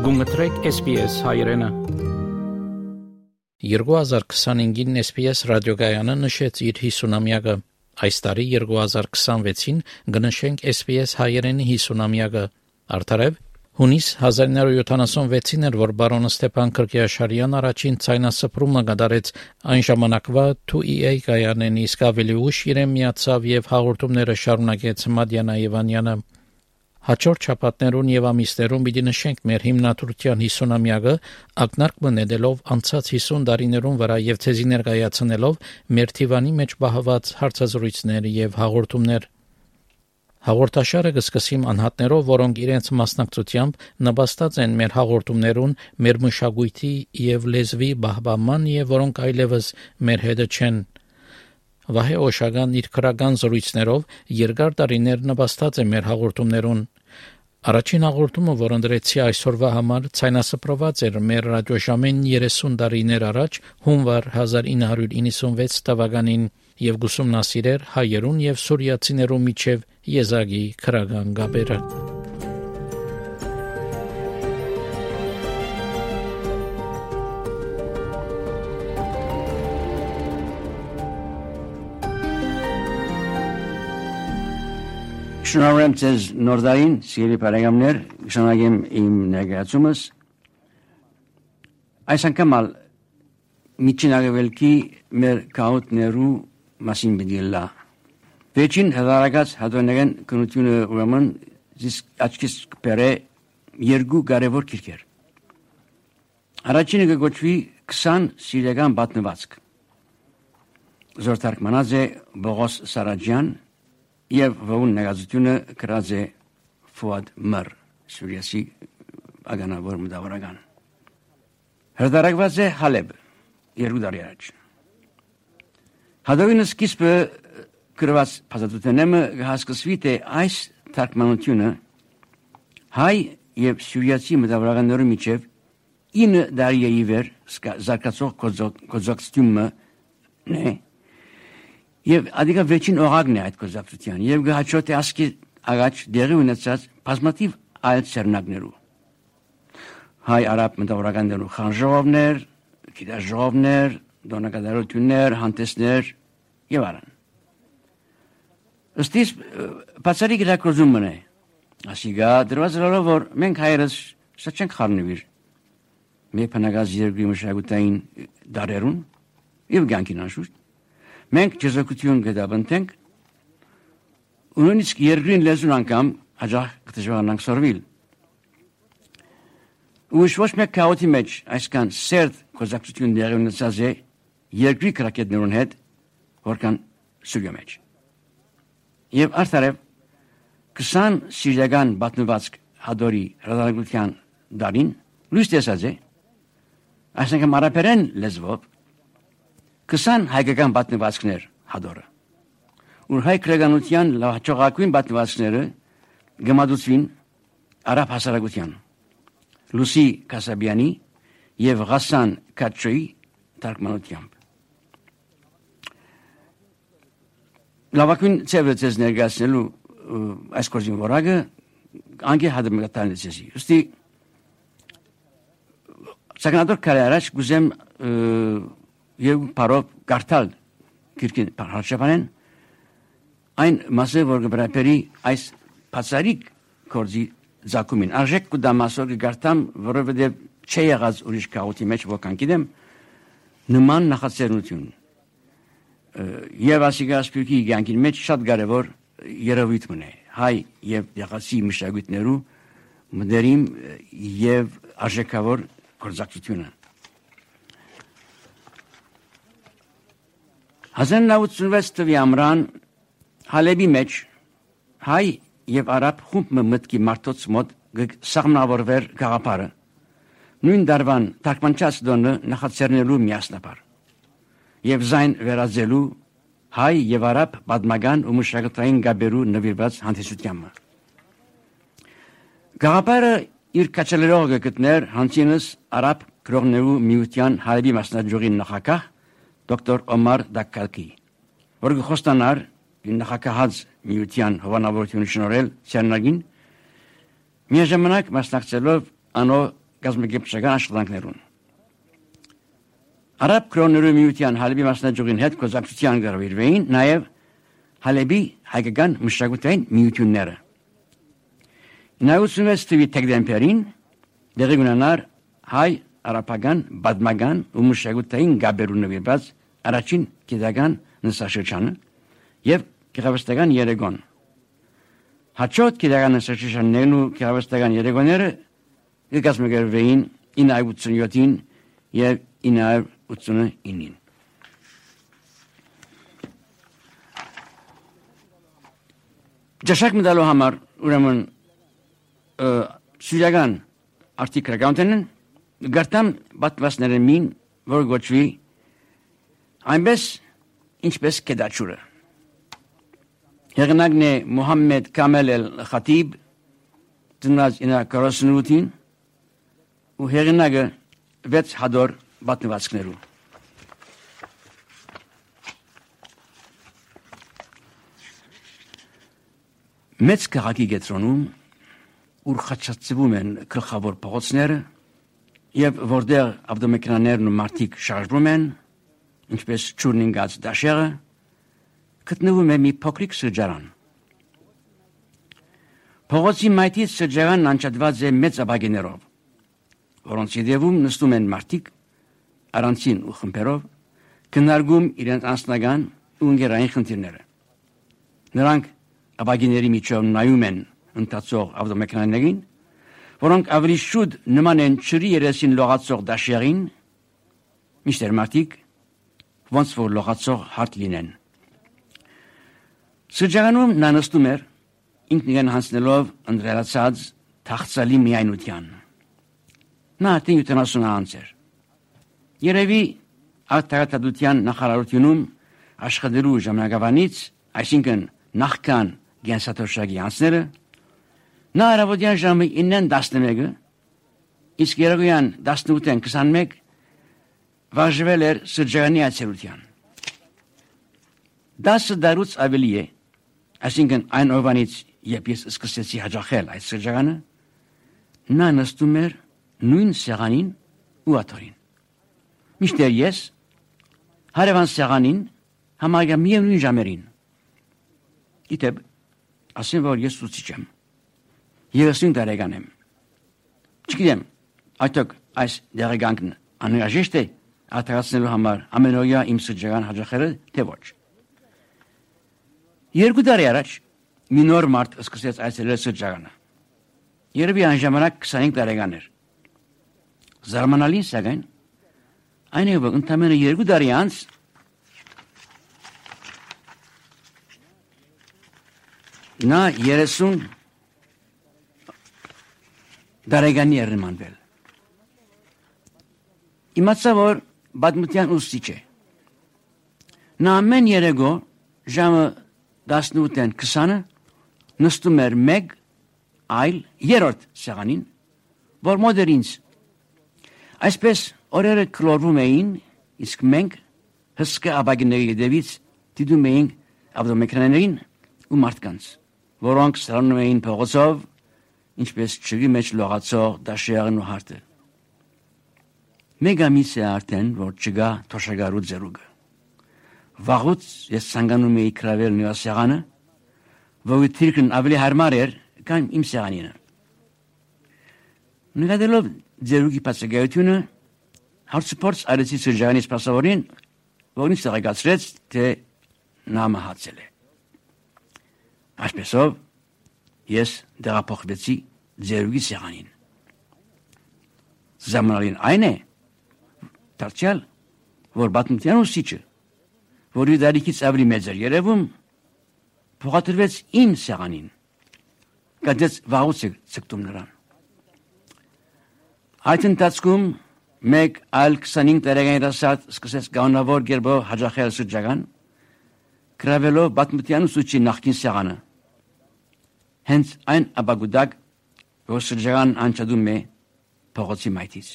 Գումտրեք SPS հայրենը 2025-ին SPS ռադիոգայանը նշեց իր 50-ամյակը։ Այս տարի 2026-ին կնշենք SPS հայրենի 50-ամյակը։ Արդարև հունիս 1976-ին էր, որ բարոն Ստեփան Քրկիաշարյան առաջին ցայնասփռումը կատարեց այն ժամանակվա 2EA կայանեն, իսկ ավելի ուշ իրեն միացավ եւ հաղորդումները շարունակեց Մադյանա Եվանյանը։ Հաջորդ շաբաթներուն եւ ամիսներուն պիտի նշենք մեր հիմնադրության 50-ամյակը, ակնարկ մնելով անցած 50 տարիներուն վրա եւ ցեզի ներկայացնելով մեր թիվանի մեջ բահված հարցազրույցներ եւ հաղորդումներ։ Հաղորդաշարը կսկսիմ անհատներով, որոնք իրենց մասնակցությամբ նպաստած են մեր հաղորդումներուն, մեր մշակույթի եւ լեզվի բահբանման եւ որոնք այլևս մեր հետը չեն։ Վահե Օշագան իր քրական զրույցներով երկար տարիներ նպաստած է մեր հաղորդումներուն։ Առաջին հաղորդումը, որ ընդրեցի այսօրվա համար, ցայնասփռված էր մեր ռադիոժամեն 30 տարիներ առաջ, հունվար 1996 թվականին եւ գուսումնասիրեր հայերուն եւ սուրիացիներու միջև եզակի քրական գաբերը։ Շնորհեմ ձեզ նորդային, սիրելի բարեկամներ, շնորհակամ իմ ներկայացումս։ Այս անգամ միջին աղևելքի մեր քաուտներու մասին բիդիլա։ Վերջին հրարակած հատոնական կնությունը ուրեմն աչքիս կպերը երկու կարևոր քիրքեր։ Առաջինը կգոչվի 20 սիրական պատմվածք։ Զորթարկմանած է Բողոս Սարաջյան եւ որուն նկատությունը գրած է Ֆուադ Մր, Սուրիասի ագանավոր մտավորական։ Հրատարակված է Հալեբ, 2 տարի առաջ։ Հադովին սկիզբը գրված փաստաթուղթերն հասկացվի թե այս թարգմանությունը հայ եւ սուրիացի մտավորականների միջև 9 տարի է իվեր զարգացող կոզակցությունը նե Եվ ադիգա վերջին օղակն է այդ կոզակցության եւ գահաճոտ է ասկի աղաչ դեղի ունեցած բազմաթիվ այլ ցերնակներու հայ արաբ մտավորականներու խանժողներ, գիտաժողովներ, դոնակատարություններ, հանդեսներ եւ այլն։ Ըստ իս բացարի գրակոզումն է ասիգա դրվածալով որ մենք հայերս շատ չենք խառնվիր մեր բնագազ երկրի մշակութային դարերուն եւ գանքին անշուշտ մենք ճեզոկություն գտաբնենք ու նույնիսկ երկրին լեզուն անգամ հաջող կդժվարանանք սորվել։ Ու ոչ մեկ քաոտի մեջ այսքան սերտ կոզակցություն դեղի ունեցած է երկրի կրակետներուն հետ որքան Սուրիա մեջ։ Եվ արդարև 20 սիրիական պատմվածք հադորի հրատարակության դարին լույս տեսած է այսինքն արաբերեն լեզվով 20 հայկական պատմվածքներ հադորը։ Ու հայ քրեգանության լավաճողակույն պատմվածքները գմադուցվին արաբ հասարակության Լուսի Կասաբյանի եւ Ղասան Քաչոյի թարգմանությամբ։ Լավակույն ծևեցես ներկայացնելու այս կորձին որակը անգե հադը մգտալնեցեսի։ Ոստի սակնադոր կարի առաջ գուզեմ եւ parov կարդալ քիրքին հարցանեն այն մասը որ գբրապերի այս բացարիք կորձի զակումին արժեք կդամասոր գարտամ որովհետեւ չի եղած ուրիշ քաոտի մեջ ոքան գիտեմ նման նախաձեռնություն եւ ասիգա սպյուրքի գանքին մեջ շատ կարեւոր երևույթ մնե հայ եւ եղածի մշակույթներու մդերիմ եւ արժեքավոր կորզակցությունը 1986 թվականի ամռան Հալեբի մեջ հայ եւ արաբ խումբ մտքի մարտոց մոտ սաղմնավորվեր գաղափարը նույն դարվան թարգմանչած դոնը նախաձեռնելու միասնաբար եւ զայն վերածելու հայ եւ արաբ պատմական ու մշակութային գաբերու նվիրված հանդիսությանը գաղափարը իր կաչելերողը գտներ հանցինս արաբ գրողներու միության Հալեբի մասնաճյուղի նախագահ Դոկտոր Օմար Դակկալկի, որ գխոստանար նախագահած միության հովանավորությունը շնորհել Ցերնագին, միաժամանակ մասնակցելով անո գազམ-գիտական աշխատանքներուն։ Արաբ կրոնների միության Հալեբի մասնաճյուղին հետ կոզակցության գրավիրվեին նաև Հալեբի հայկական մշակութային միությունները։ 96 թվականի դեկտեմբերին դեղի ունենար հայ արաբական բադմական ու մշակութային գաբերու նվիրված առաջին գիտական նստաշրջանը եւ գեղարվեստական երեկոն։ Հաջորդ գիտական նստաշրջաններն ու գեղարվեստական երեկոները կազմակերպվեին 987-ին եւ 989-ին։ Ճաշակ մտալու համար ուրեմն սուրյական արտիկրականներն գարտամ պատվասները մին որ գոչվի այնպես ինչպես կեդաչուրը։ Հեղինակն է Մուհամմեդ Կամել Խաթիբ ծնված 948-ին ու հեղինակը 6 հադոր պատմվածքներու։ Մեծ քաղաքի կենտրոնում ուր խաչացվում են գլխավոր փողոցները եւ որտեղ ավտոմեքենաներն ու մարդիկ շարժվում են, ինչպես ճուրնինգած դաշերը, գտնվում է մի փոքրիկ սրճարան։ Փողոցի մայթից սրճարանն անջատված է մեծ ապակիներով, որոնց ետևում նստում են մարդիկ առանցին ու խմբերով, քննարկում իրենց անձնական ու ընկերային խնդիրները։ Նրանք ապակիների միջով նայում են ընթացող ավտոմեքենաներին, որոնք ավելի շուտ նման են ջրի երեսին լողացող դաշերին, միշտեր մարդիկ ոնց որ լողացող հարթ լինեն։ Սրճարանում նա նստում էր ինքնին հանձնելով ընդրելացած թախծալի միայնության։ Նա արդեն 70 անց էր։ Երևի արտահայտության նախարարությունում աշխատելու ժամանակավանից, այսինքն նախքան գենսաթոշակի անցները, նա առավոտյան ժամը 9:11, իսկ երեկոյան 18:21 վարժվել էր սրճարանի այցելության։ 10 դարուց ավելի է, այսինքն այն օրվանից, երբ ես սկսեցի հաճախել այդ սրճարանը, նա նստում էր նույն սեղանին ու աթոռին։ Միշտեր ես հարևան սեղանին համարյա միևնույն ժամերին։ Գիտեք, ասեմ, որ ես ուսուցիչ եմ։ 30 տարեկան եմ։ Չգիտեմ, այդտեղ այս դերականքն անհրաժեշտ է արտահայտելու համար ամենօրյա իմ սրճարան հաճախելը, թե ոչ։ 2 տարի առաջ մի նոր մարդ սկսեց այցելել սրճարանը։ Երևի այն ժամանակ 25 տարեկան էր։ Զարմանալին սակայն այն է, որ ընդամենը 2 տարի անց նա 30 տարեկանի էր նմանվել։ Իմացա, որ պատմության ուսուցիչ է։ Նա ամեն երեկո ժամը 18:20 նստում էր մեկ այլ երրորդ սեղանին, որ մոտ էր ինձ։ Այսպես օրերը կլորվում էին, իսկ մենք հսկա ապակիների ետևից դիտում էինք ավտոմեքենաներին ու մարդկանց, որոնք սրանում էին փողոցով, ինչպես ջրի մեջ լողացող դաշերն ու հարթը։ Մեկ ամիս է արդեն, որ չկա թոշակառու ձեռուկը։ Վաղուց ես ցանկանում էի գրավել նրա սեղանը, որ թիրքն ավելի հարմար էր, քան իմ սեղանինը։ Նկատելով ձեռուկի բացակայությունը, հարցուփորձ արեցի սրճարանի սպասավորին, որ ինձ տեղեկացրեց, թե նա մահացել է։ Այսպեսով ես տեղափոխվեցի ձեռուկի սեղանին։ Զարմանալին այն է, դարձյալ, որ պատմության ուսուցիչը, որի դարիքից ավելի մեծ էր երևում, փոխադրվեց իմ սեղանին, կատեց վաղուց ցկտում նրան։ Այդ ընթացքում մեկ այլ 25 տարեկան երասարդ սկսեց կանոնավոր կերպով հաճախել սրճարան, գրավելով պատմության ուսուցչի նախկին սեղանը։ Հենց այն ապագուտակ, որ սրճարան անջատում է փողոցի մայթից։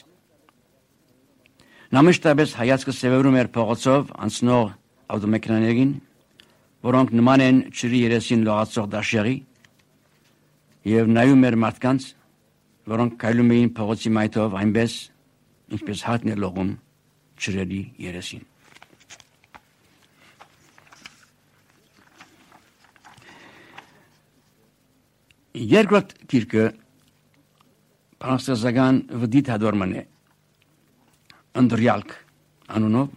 Նա մշտապես հայացքը սևեռում էր փողոցով անցնող ավտոմեքենաներին, որոնք նման են ջրի երեսին լողացող դաշերի, եւ նայում էր մարդկանց, որոնք կայլում էին փողոցի մայթով այնպես, ինչպես հատն է լողում ջրերի երեսին։ Երկրորդ գիրքը Պարաստազական վդիտ հադորման է, ընդրյալք անունով,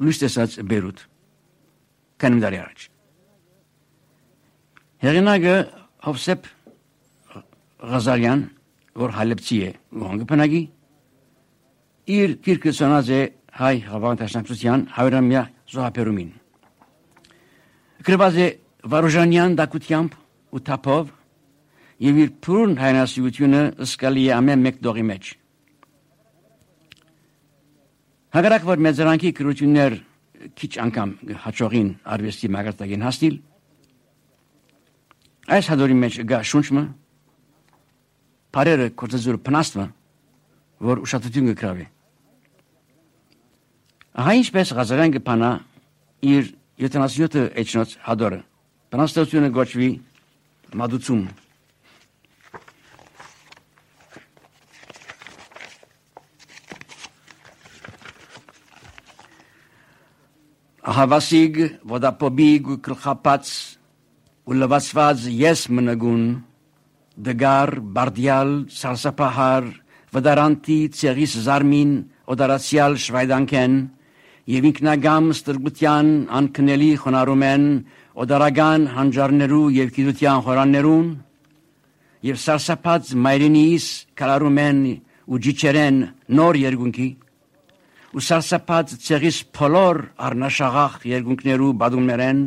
լույս տեսած Բեյրութ, քանի տարի առաջ։ Հեղինակը Հովսեփ Ղազարյան, որ հալեպցի է ու հանգպանագի, իր գիրքը ծնած է հայ հավանականության 100-ամյա զոհաբերումին։ Գրված է վարուժանյան դակությամբ ու թափով եւ իր փուրն հայրենասիրությունը զգալի է ամեն մեկ դողի մեջ։ Հակառակ որ մեծարանքի քրություններ քիչ անգամ հաջողին արվեստի մագարտագին հասնել, այս հադորի մեջ գա շունչը, բարերը կործածուրը փնաստվը, որ ուշադրություն կգրավի։ Ահա ինչպես Ղազարյան կփանա իր 77 էջնոց հադորը, փնաստությունը գոչվի մադուցում։ Հավասիգ, vodapobig, կրխապած ու լվացված ես մնագուն, դգար, բարդյալ, սարսափահար, վդարանտի, ցեղիս զարմին, օդարացյալ շվայդանքեն, եւ ինքնագամ ստրգության անքնելի խոնարհում են օդարական հանջարներու եւ գիտության խորաններուն, եւ սարսափած մայրենիս կալարում են ու ջիչերեն նոր երկունքի, ու սարսափած ցեղիս փոլոր առնաշաղախ երկունքներու բադումներեն,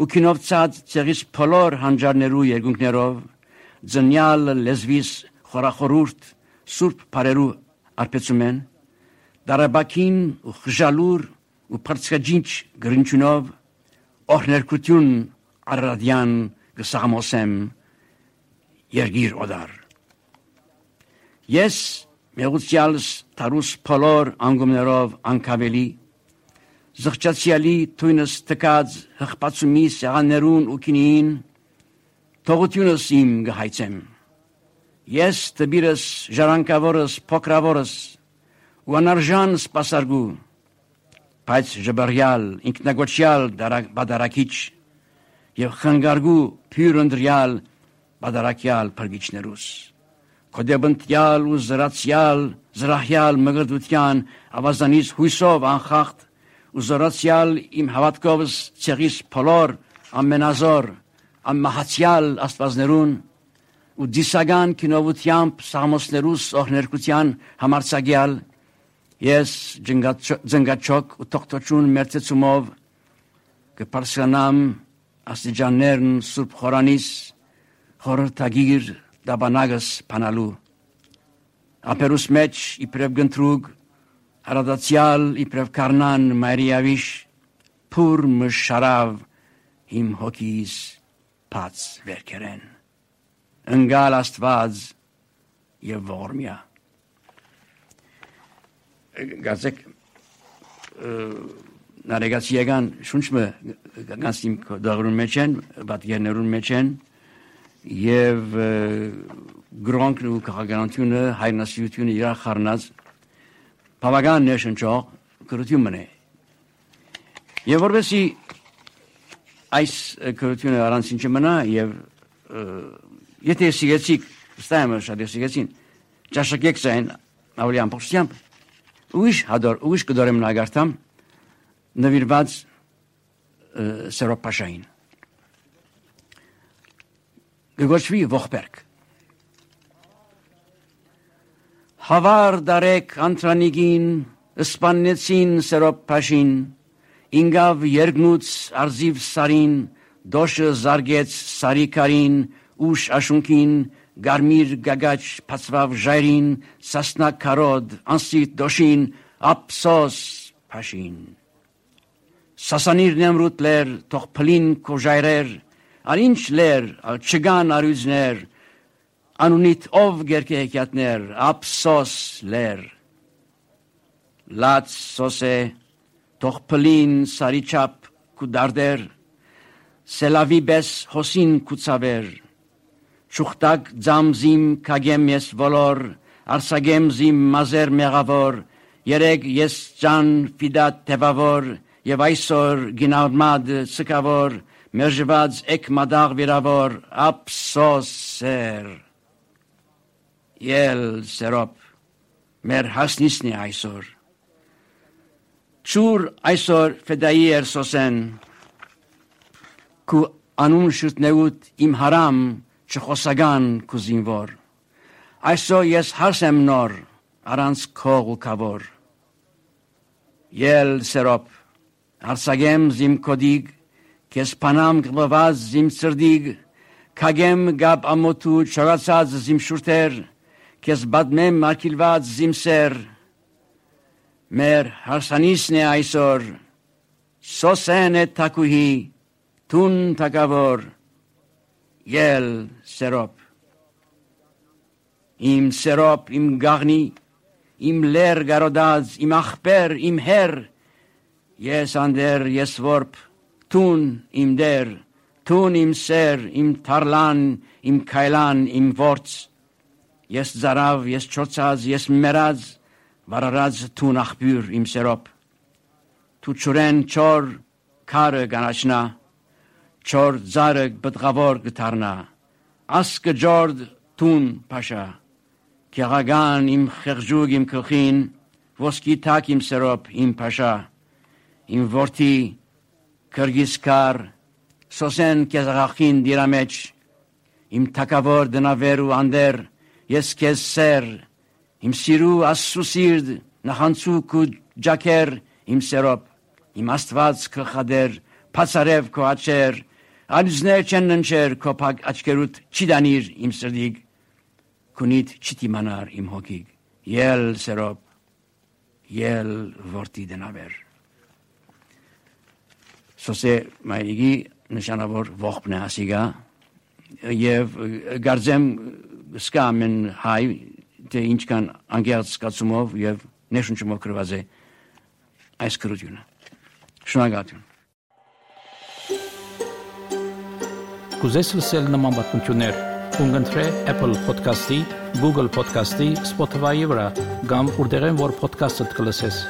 ու քինովցած ցեղիս փոլոր հանջարներու երկունքներով, ձնյալ լեզվիս խորախորուրդ սուրբ բարերու արպեցում են, դարաբակին ու խժալուր ու պրծկաջինչ գրնչունով, օրներկություն արարադյան գսաղամոսեմ երգիր օդար։ Ես մեղուցյալս տարուս փոլոր անգումներով անկավելի, զղջացյալի թույնս տկած հղպացումի սեղաններուն ու կինին, թողությունս իմ գհայցեմ։ Ես տբիրս ժառանգավորս փոքրավորս ու անարժան սպասարգու, բայց ժբարյալ ինքնագոչյալ բադարակիչ եւ խնգարգու փյուր ընդրյալ բադարակյալ փրկիչներուս, կոդեբնտյալ ու զրահյալ մգրդության ավազանից հույսով անխախտ ու զորացյալ իմ հավատքովս ցեղիս փոլոր ամենազոր ամմահացյալ աստվածներուն ու դիսական քինովությամբ սամոսներուս օրներկության համարցագյալ ես ձնգաչոք ու թողտոչուն մերծեցումով կպարսյանամ աստիճաններն սուրբ խորանիս խորհրդագիր դաբանագս փանալու ապերուս մեջ իբրև գնտրուգ հարադացյալ իբրև կարնան մայրիավիշ փուր մշարավ իմ հոգիս փած վերքերեն ընկալ աստված եւ ողորմյա գազեք նարեգացիական շունչը գանցիմ դաղրուն մեջ են բատերներուն մեջ են եւ գրոնքն ու քաղաքականությունը հայրենասիրությունը իրար խառնած բավական ներշնչող կրթություն է եւ որովհետեւ այս կրթությունը առանցին չմնա եւ եթե սիգեցիկ ստայմը շատ սիգեցին ճաշակեք զայն ավելի ամբողջությամբ ուիշ կդորեմ նագարտամ նվիրված Սերոպաշային գոչվի ողբերք հավար դարեք անտրանիգին սպաննեցին Սերոպաշին ինգավ երգնուց արզիվ սարին դոշը զարգեց սարիկարին ուշ աշունքին գարմիր գագաչ փածվավ ժայրին սասնա կարոդ անսիտ դոշին ափսոս փաշին սասանիր նեմրուտ լեր թող փլին քո ժայրեր Անինչ լեր, չգան արույձներ, անունիտ ով գերկե հեկյատներ, ափսոս լեր, լաց սոսե, թող փլին սարիչապ կու դարդեր, սելավի բես հոսին կու ցավեր, Չուխտակ ձամզիմ կագեմ ես ոլոր, արսագեմ զիմ մազեր մեղավոր, երեկ ես ճան ֆիդատ տևավոր, և այսօր գինարմադ սկավոր, մերժված էկ մադաղ վիրավոր, ապսոս սեր։ Ել սերոպ, մեր հասնիսն է այսօր։ Չուր այսօր ֆեդայի էր սոսեն, կու անուն շրտնեուտ իմ հարամ չխոսագան կու զինվոր։ Այսօր ես հարսեմ նոր, առանց քող ու կավոր։ Ել սերոպ, արսագեմ զիմ կոդիգ, կես պանամ գլված զիմ ծրդիգ, կագեմ գապ ամոտու չորացած զիմ շուրթեր, կես բադմեմ արկիլված զիմ սեր, մեր հարսանիսն է այսօր, սոսեն է թակուհի, տուն թակավոր, ել սերոպ։ Իմ սերոպ, իմ գաղնի, իմ լեր գարոդած, իմ ախպեր, իմ հեր, ես անդեր, ես որպ, տուն իմ դեր, տուն իմ սեր, իմ թարլան, իմ կայլան, իմ ворց, ես զարավ, ես չոցած, ես մերած, վարարած տուն ախբյուր իմ սերոպ, tu չուրեն չոր քարը գանաչնա, չոր ձարը բտղավոր գտարնա, ասկը ջորդ տուն պաշա, կեղագան իմ խեղջուգ իմ կլխին, ոսկի թակ իմ սերոպ իմ պաշա, իմ որդի կրգիսկար, սոսեն կեզաղախին դիրամեջ, իմ թակավոր դնավեր ու անդեր, ես կեզ սեր, իմ սիրու ասու սիրդ, նախանցուկ ու ջակեր իմ սերոպ, իմ աստված կլխադեր, պացարև քո աչեր, ալյուզներ չեն ննչեր քո փակ աչքերուտ չի դանիր իմ սրդիգ, քունիդ չտիմանար իմ հոգիգ, ել սերոպ, ել որդի դնավեր։ Սոսե մայրիգի նշանավոր ողբն է ասիգա, և գարձեմ սկա ամեն հայ, թե ինչքան անգեղծ սկացումով և նեշունչումով կրված է այս կրությունը։ Շնորհակալություն։ Կուզես լսել նման պատմություններ, կընտրե Apple Podcast-ի, Google Podcast-ի, Spotify-ի վրա, կամ որտեղեն որ podcast-ըդ կլսես։